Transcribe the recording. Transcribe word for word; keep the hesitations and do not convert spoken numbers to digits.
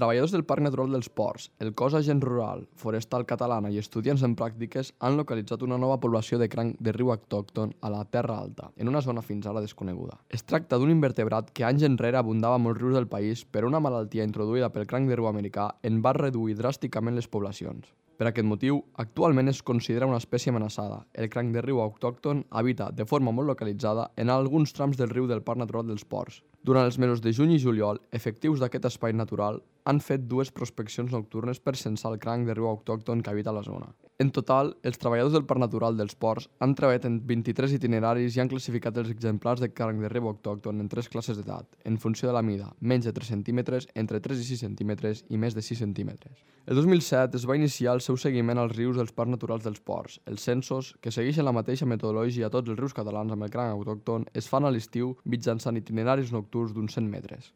Treballadors del Parc Natural dels Ports, el cos Agent Rural, Forestal Catalana i estudiants en pràctiques han localitzat una nova població de cranc de riu autòcton a la Terra Alta, en una zona fins ara desconeguda. Es tracta d'un invertebrat que anys enrere abundava a molts rius del país, però una malaltia introduïda pel cranc de riu americà en va reduir dràsticament les poblacions. Per aquest motiu, actualment es considera una espècie amenaçada. El cranc de riu autòcton habita de forma molt localitzada en alguns trams del riu del Parc Natural dels Ports. Durant els mesos de juny i juliol, efectius d'aquest espai natural han fet dues prospeccions nocturnes per censar el cranc de riu autòcton que habita la zona. En total, els treballadors del Parc Natural dels Ports han treballat en vint-i-tres itineraris i han classificat els exemplars de cranc de riu autòcton en tres classes d'edat, en funció de la mida, menys de tres centímetres, entre tres i sis centímetres i més de sis centímetres. El dos mil set es va iniciar el seu seguiment als rius dels Parcs Naturals dels Ports. Els censos, que segueixen la mateixa metodologia a tots els rius catalans amb el cranc autòcton, es fan a l'estiu mitjançant itineraris nocturns d'uns cent metres.